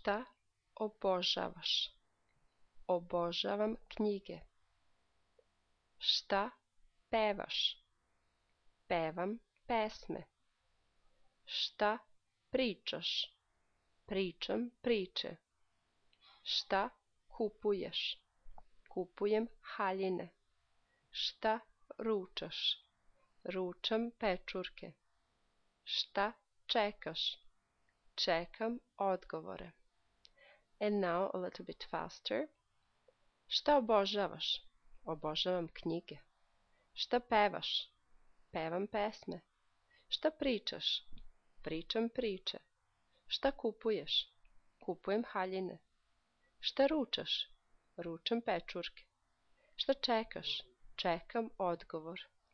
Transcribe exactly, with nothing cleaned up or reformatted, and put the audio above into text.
Šta obožavaš? Obožavam knjige. Šta pevaš? Pevam pesme. Šta pričaš? Pričam priče. Šta kupuješ? Kupujem haljine. Šta ručaš? Ručam pečurke. Šta čekaš? Čekam odgovore. And now a little bit faster. Šta obožavaš? Obožavam knjige. Šta pevaš? Pevam pesme. Šta pričaš? Pričam priče. Šta kupuješ? Kupujem haljine. Šta ručaš? Ručam pečurke. Šta čekaš? Čekam odgovor.